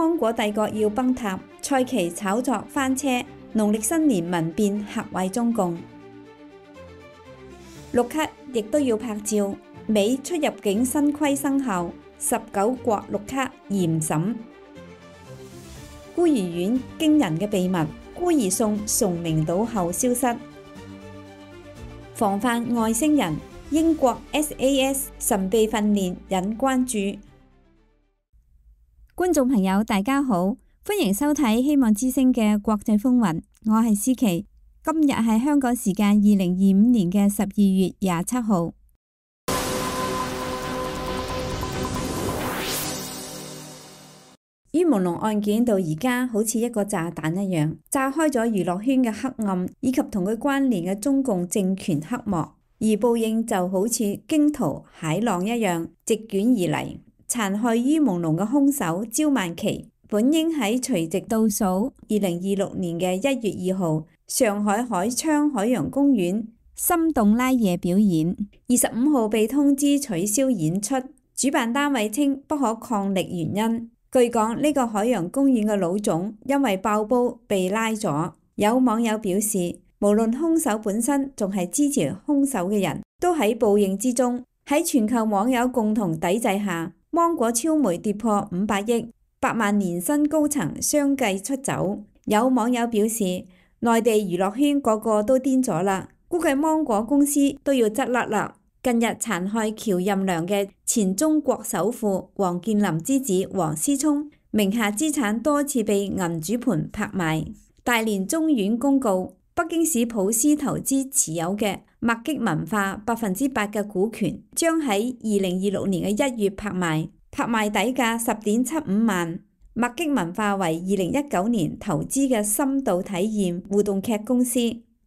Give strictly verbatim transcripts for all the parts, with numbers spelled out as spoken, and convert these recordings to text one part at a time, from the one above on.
剛果帝國要崩塌，蔡奇炒作翻車，農曆新年民變嚇壞中共。綠卡亦都要拍照，美出入境新規生效，十九國綠卡嚴審。孤兒院驚人嘅秘密，孤兒送崇明島後消失。防範外星人，英國 S A S 神秘訓練引關注。觀眾朋友大家好，歡迎收睇希望之聲嘅國際風雲，我係思琪。今日係香港時間二零二五年嘅十二月廿七號。於朦朧案件到而家好似一個炸彈一樣，炸開咗娛樂圈嘅黑暗，以及同佢關聯嘅中共政權黑幕。而報應就好似驚濤駭浪一樣席捲而嚟，殘害於朦朧嘅兇手焦萬琪，本應喺除夕倒數二零二六年嘅一月二號，上海海昌海洋公園心動拉夜表演，二十五號被通知取消演出，主辦單位稱不可抗力原因。據講呢個海洋公園嘅老總因為爆煲被拉咗。有網友表示，無論兇手本身仲係支持兇手嘅人都喺報應之中。喺全球網友共同抵制下，芒果超媒跌破五百億，百萬年薪高層相繼出走。有網友表示，內地娛樂圈個個都癲咗啦，估計芒果公司都要執笠啦。近日殘害喬任梁嘅前中國首富王健林之子王思聰名下資產多次被銀主盤拍賣。大連中院公告，北京市普思投資持有嘅麥激文化百分之八嘅股權將喺二零二六年嘅一月拍賣，拍賣底價十點七五萬。麥激文化為二零一九年投資嘅深度體驗互動劇公司，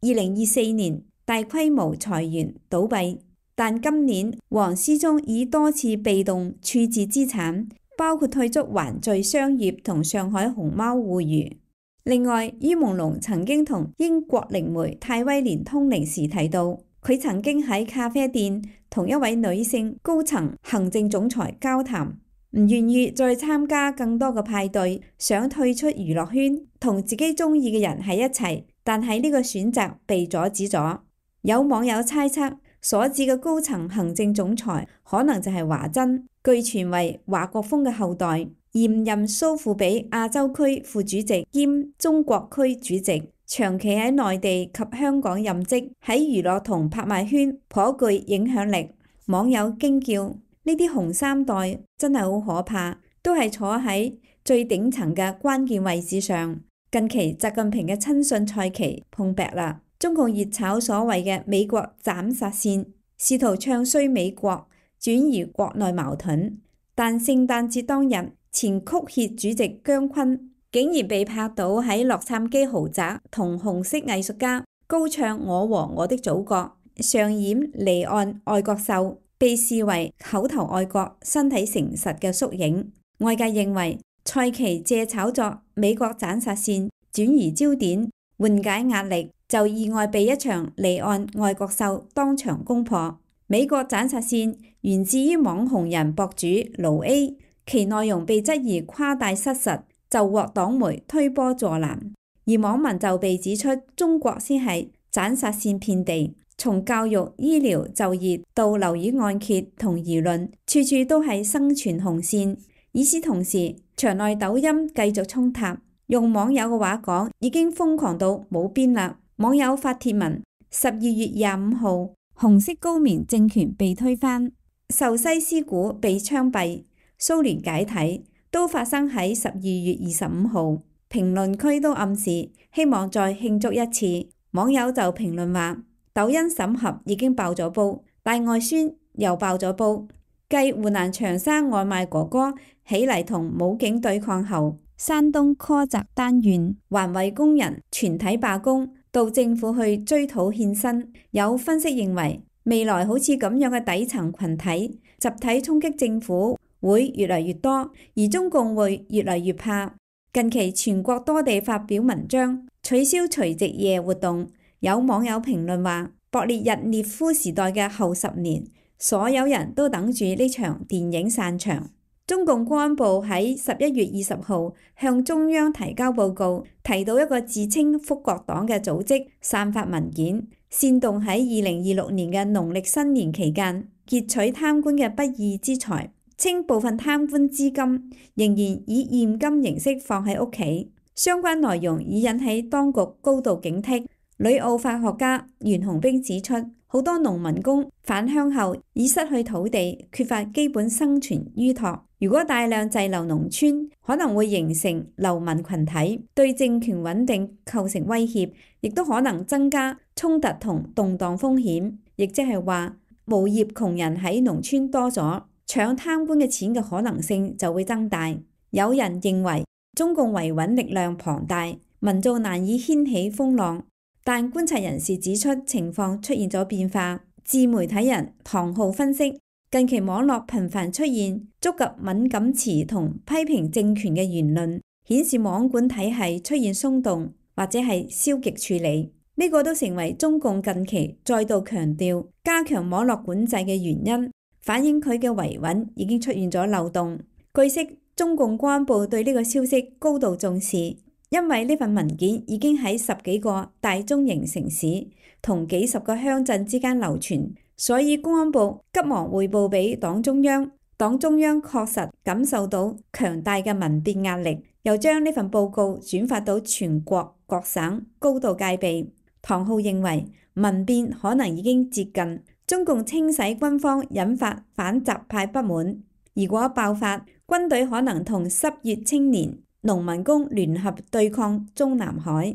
二零二四年大規模裁員倒閉。但今年王思聰已多次被動處置資產，包括退出環聚商業同上海熊貓互娛。另外，於朦朧曾經同英國靈媒泰威廉通靈時提到，佢曾經喺咖啡店同一位女性高層行政總裁交談，唔願意再參加更多嘅派對，想退出娛樂圈，同自己中意嘅人喺一齊，但係呢個選擇被阻止咗。有網友猜測，所指嘅高層行政總裁可能就係華珍，據傳為華國鋒嘅後代，現任蘇富比亞洲區副主席兼中國區主席，長期喺內地及香港任職，喺娛樂同拍賣圈頗具影響力。網友驚叫：呢啲紅三代真係好可怕，都係坐喺最頂層嘅關鍵位置上。近期習近平嘅親信蔡奇碰壁啦。中共熱炒所謂嘅美國斬殺線，試圖唱衰美國，轉移國內矛盾。但聖誕節當日，前曲協主席姜昆竟然被拍到喺洛杉磯豪宅同紅色藝術家高唱《我和我的祖國》，上演離岸愛國秀，被視為口頭愛國、身體誠實嘅縮影。外界認為蔡奇借炒作美國斬殺線轉移焦點，緩解壓力，就意外被一場離岸愛國秀當場攻破。美國斬殺線源自於網紅人博主盧 A， 其內容被質疑誇大失實，就獲黨媒推波助瀾。而網民就被指出中國先係斬殺線遍地，從教育、醫療、就業到樓宇按揭同輿論，處處都係生存紅線。與此同時，場內抖音繼續衝塔，用網友嘅話講，已經瘋狂到冇邊啦。網友發帖文：十二月廿五號，紅色高棉政權被推翻，壽西斯古被槍斃，蘇聯解體，都發生喺十二月二十五號。評論區都暗示希望再慶祝一次。網友就評論話：抖音審核已經爆咗煲，大外宣又爆咗煲。繼湖南長沙外賣哥哥起嚟同武警對抗後，山東柯澤單縣環衛工人全體罷工，到政府去追討欠薪。有分析認為，未來好似咁樣嘅底層群體集體衝擊政府會越嚟越多，而中共會越嚟越怕。近期全國多地發表文章取消除夕夜活動，有網友評論話：勃列日涅夫時代嘅後十年，所有人都等住呢場電影散場。中共公安部喺十一月二十號向中央提交報告，提到一個自稱福國黨嘅組織散發文件，煽動喺二零二六年嘅農曆新年期間劫取貪官嘅不義之財，稱部分貪官資金仍然以現金形式放喺屋企。相關內容已引起當局高度警惕。旅澳法學家袁洪兵指出，好多農民工返鄉後已失去土地，缺乏基本生存依託。如果大量滯留農村，可能會形成流民群體，對政權穩定構成威脅，亦都可能增加衝突同動盪風險。亦即係話，無業窮人喺農村多咗，搶貪官嘅錢嘅可能性就會增大。有人認為中共維穩力量龐大，民眾難以掀起風浪。但觀察人士指出，情況出現咗變化。自媒體人唐浩分析，近期網絡頻繁出現觸及敏感詞同批評政權嘅言論，顯示網管體系出現鬆動或者係消極處理。呢個都成為中共近期再度強調加強網絡管制嘅原因，反映佢嘅維穩已經出現咗漏洞。據悉，中共公安部對呢個消息高度重視。因為呢份文件已經喺十幾個大中型城市同幾十個鄉鎮之間流傳，所以公安部急忙匯報俾黨中央。黨中央確實感受到強大嘅民變壓力，又將呢份報告轉發到全國各省，高度戒備。唐浩認為民變可能已經接近，中共清洗軍方引發反習派不滿，如果爆發，軍隊可能同失業青年、農民工聯合對抗中南海。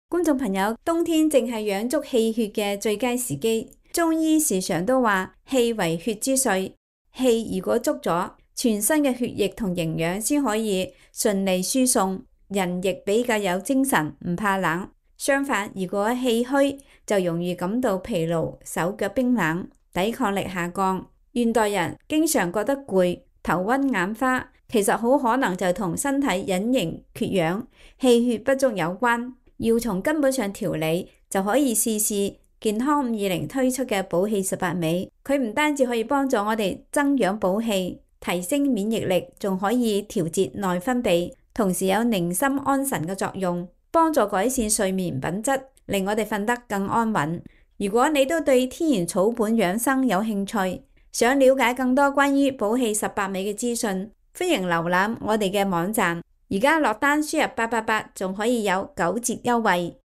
觀眾朋友，冬天正係養足氣血嘅最佳時機。中醫時常都話氣為血之髓，氣如果足咗，全身嘅血液同營養先可以順利輸送，人亦比較有精神，唔怕冷。相反，如果氣虛，就容易感到疲勞、手腳冰冷、抵抗力下降。現代人經常覺得攰、頭暈眼花，其實好可能就同身體隱形缺氧、氣血不足有關。要從根本上調理，就可以試試健康五二零推出嘅補氣十八味。佢唔單止可以幫助我哋增氧補氣、提升免疫力，仲可以調節內分泌，同時有寧心安神嘅作用，幫助改善睡眠品質，令我哋瞓得更安穩。如果你都對天然草本養生有興趣，想了解更多關於補氣十八味嘅資訊，歡迎瀏覽我哋嘅網站。而家落單輸入八八八，仲可以有九折優惠。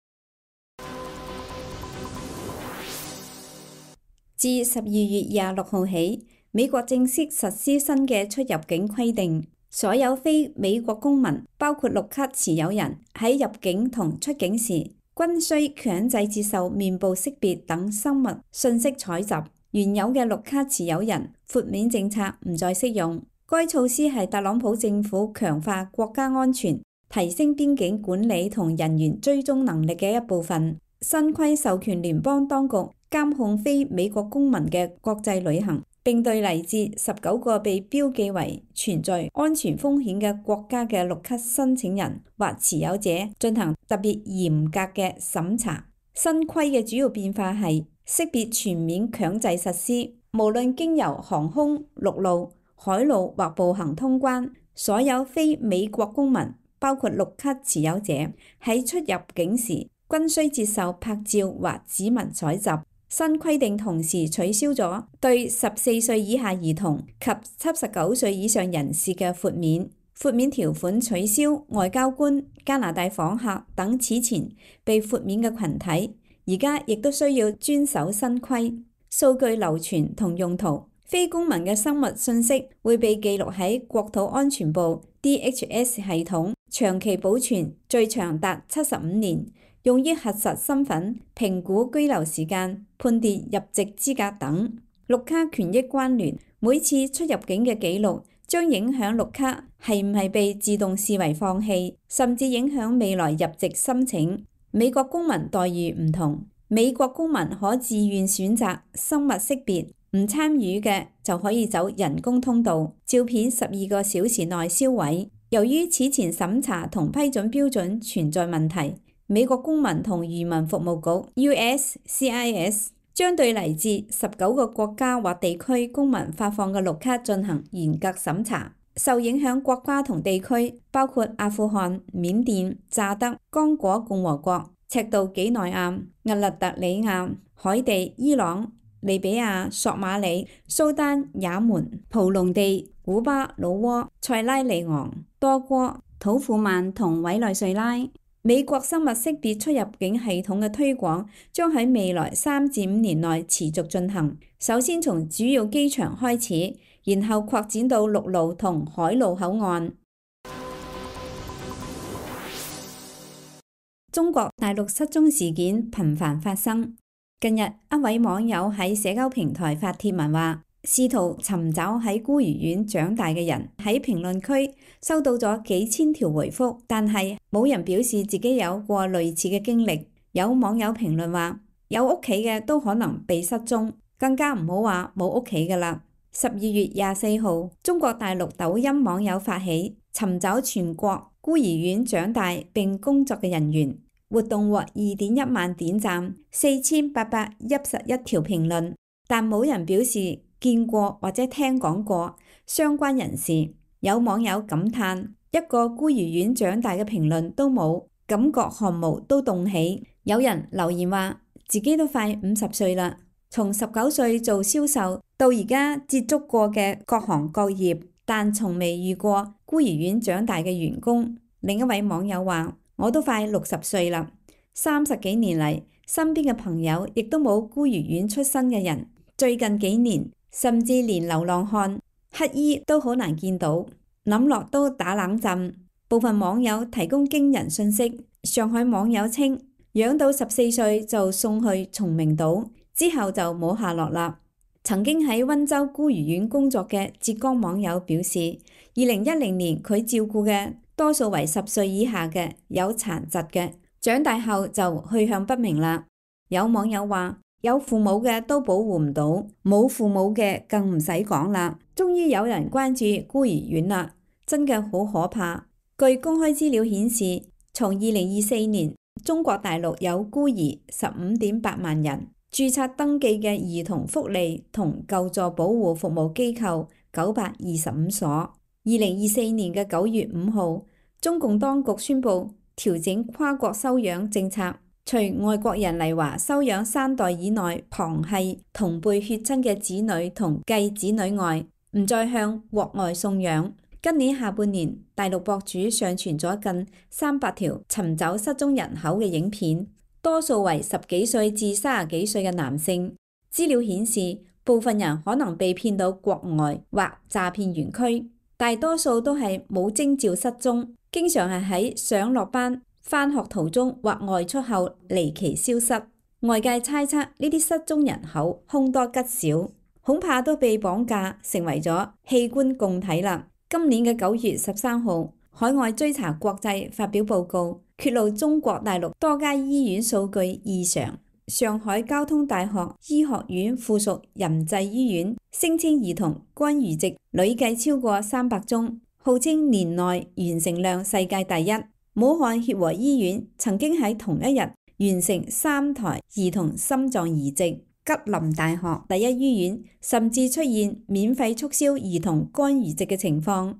自十二月廿六號起，美國正式實施新嘅出入境規定，所有非美國公民，包括綠卡持有人，喺入境同出境時，均需強制接受面部識別等生物信息採集。原有嘅綠卡持有人豁免政策唔再適用。該措施係特朗普政府強化國家安全、提升邊境管理同人員追蹤能力嘅一部分。新規授權聯邦當局監控非美國公民嘅國際旅行，並對嚟自十九個被標記為存在安全風險嘅國家嘅綠卡申請人或持有者進行特別嚴格嘅審查。新規嘅主要變化係識別全面強制實施，無論經由航空、陸路、海路或步行通關，所有非美國公民，包括綠卡持有者，喺出入境時均需接受拍照或指紋採集。新規定同時取消咗對十四歲以下兒童及七十九歲以上人士嘅豁免。豁免條款取消外交官、加拿大訪客等此前被豁免嘅群體，而家亦都需要遵守新規。數據流傳同用途。非公民嘅生物信息會被記錄喺國土安全部 D H S 系統，長期保存，最長達七十五年，用於核實身份、評估居留時間、判斷入籍資格等。綠卡權益關聯，每次出入境嘅記錄將影響綠卡係唔係被自動視為放棄，甚至影響未來入籍申請。美國公民待遇唔同，美國公民可自願選擇生物識別。唔參與嘅就可以走人工通道，照片十二個小時內銷毀。由於此前審查同批准標準存在問題，美國公民同移民服務局 U S C I S 將對嚟自十九個國家或地區公民發放嘅綠卡進行嚴格審查。受影響國家同地區包括阿富汗、緬甸、乍得、剛果共和國、赤道幾內亞、厄立特里亞、海地、伊朗、利比亞、索馬里、蘇丹、也門、蒲隆地、古巴、老撾、塞拉利昂、多哥、土庫曼同委內瑞拉。美國生物識別出入境系統嘅推廣將喺未來三至五年內持續進行，首先從主要機場開始，然後擴展到陸路同海路口岸。中國大陸失蹤事件頻繁發生。近日，一位網友喺社交平台發帖文話，試圖尋找喺孤兒院長大嘅人，喺評論區收到咗幾千條回覆，但係冇人表示自己有過類似嘅經歷。有網友評論話，有屋企嘅都可能被失蹤，更加唔好話冇屋企㗎啦。十二月廿四號，中國大陸抖音網友發起尋找全國孤兒院長大並工作嘅人員，活動獲二點一萬點讚，四千八百一十一條評論，但冇人表示見過或者聽講過相關人士。有網友感嘆，一個孤兒院長大嘅評論都冇，感覺汗毛都凍起。有人留言話，自己都快五十歲啦，從十九歲做銷售到而家接觸過嘅各行各業，但從未遇過孤兒院長大嘅員工。另一位網友話，我都快六十歲啦，三十幾年嚟，身邊嘅朋友亦都冇孤兒院出身嘅人。最近幾年，甚至連流浪漢、乞兒都好難見到，諗落都打冷震。部分網友提供驚人信息。上海網友稱，養到十四歲就送去崇明島，之後就冇下落啦。曾經喺溫州孤兒院工作嘅浙江網友表示，二零一零年佢照顧嘅多數為十歲以下嘅有殘疾嘅，長大後就去向不明啦。有網友話，有父母嘅都保護唔到，冇父母嘅更唔使講啦。終於有人關注孤兒院啦，真嘅好可怕。據公開資料顯示，從二零二四年，中國大陸有孤兒十五點八萬人，註冊登記嘅兒童福利同救助保護服務機構九百二十五所。二零二四年嘅九月五號，中共當局宣布調整跨國收養政策。除外國人嚟華收養三代以內旁系同輩血親嘅子女同繼子女外，唔再向國外送養。今年下半年，大陸博主上傳咗近三百條尋找失蹤人口嘅影片，多數為十幾歲至三十幾歲嘅男性。資料顯示，部分人可能被騙到國外或詐騙園區，大多數都係冇徵兆失蹤，經常係喺上落班、返學途中或外出後離奇消失。外界猜測呢啲失蹤人口凶多吉少，恐怕都被綁架成為咗器官共體啦。今年嘅九月十三號，海外追查國際發表報告，揭露中國大陸多家醫院數據異常。上海交通大學醫學院附屬仁濟醫院聲稱兒童肝移植累計超過三百宗，號稱年內完成量世界第一。武漢協和醫院曾經喺同一日完成三台兒童心臟移植。吉林大學第一醫院甚至出現免費促銷兒童肝移植嘅情況。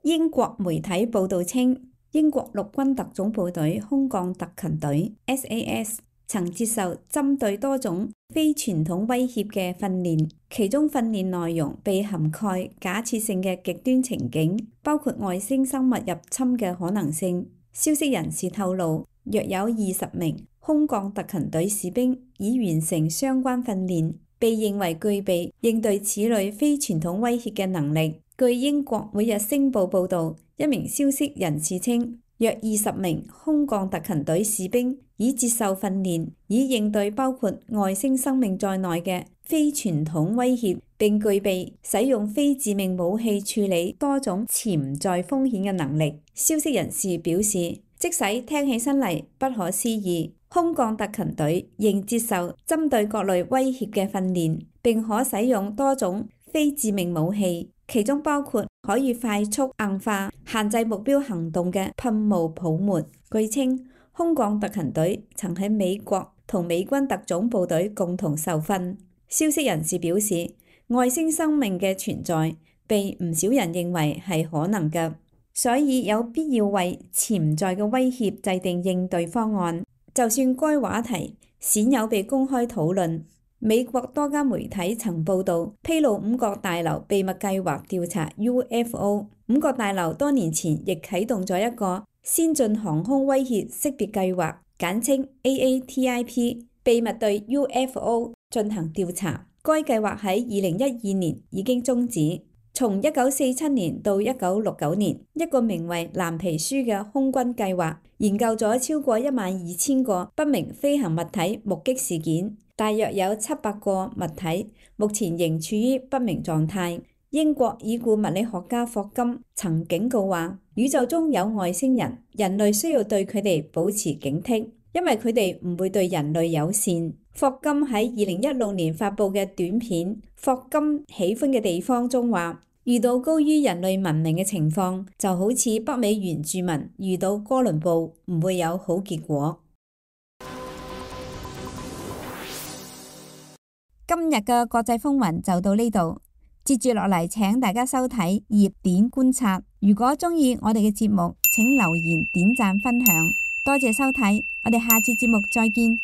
英國媒體報道稱，英國陸軍特種部隊空降特勤隊 S A S 曾接受針對多種非傳統威脅嘅訓練，其中訓練內容被涵蓋假設性嘅極端情景，包括外星生物入侵嘅可能性。消息人士透露，約有二十名空降特勤隊士兵已完成相關訓練，被認為具備應對此類非傳統威脅嘅能力。據英國每日星報報導，一名消息人士稱，約二十名空降特勤隊士兵已接受訓練，以應對包括外星生命在內嘅非傳統威脅，並具備使用非致命武器處理多種潛在風險嘅能力。消息人士表示，即使聽起身嚟不可思議，空降特勤隊仍接受針對各類威脅嘅訓練，並可使用多種非致命武器，其中包括可以快速硬化、限制目標行動嘅噴霧泡沫。據稱，空降特勤隊曾喺美國同美軍特種部隊共同受訓。消息人士表示，外星生命嘅存在被唔少人認為係可能嘅，所以有必要為潛在嘅威脅制定應對方案。就算該話題鮮有被公開討論，美國多家媒體曾報導披露五角大樓秘密計劃調查 U F O。五角大樓多年前亦啟動咗一個先進航空威脅識別計劃，簡稱 A A T I P， 秘密對 U F O 進行調查。該計劃喺二零一二年已經終止。從一九四七年到一九六九年，一個名為藍皮書嘅空軍計劃研究咗超過一萬二千個不明飛行物體目擊事件，大約有七百個物體目前仍處於不明狀態。英國已故物理學家霍金曾警告話，宇宙中有外星人，人類需要對佢哋保持警惕，因為佢哋唔會對人類友善。霍金喺二零一六年發布嘅短片《霍金喜歡嘅地方》中話，遇到高於人類文明嘅情況，就好似北美原住民遇到哥倫布，唔會有好結果。今日嘅國際風雲就到呢度，接住落嚟請大家收睇熱點觀察。如果鍾意我哋嘅節目，請留言、點讚、分享。多謝收睇，我哋下次節目再見。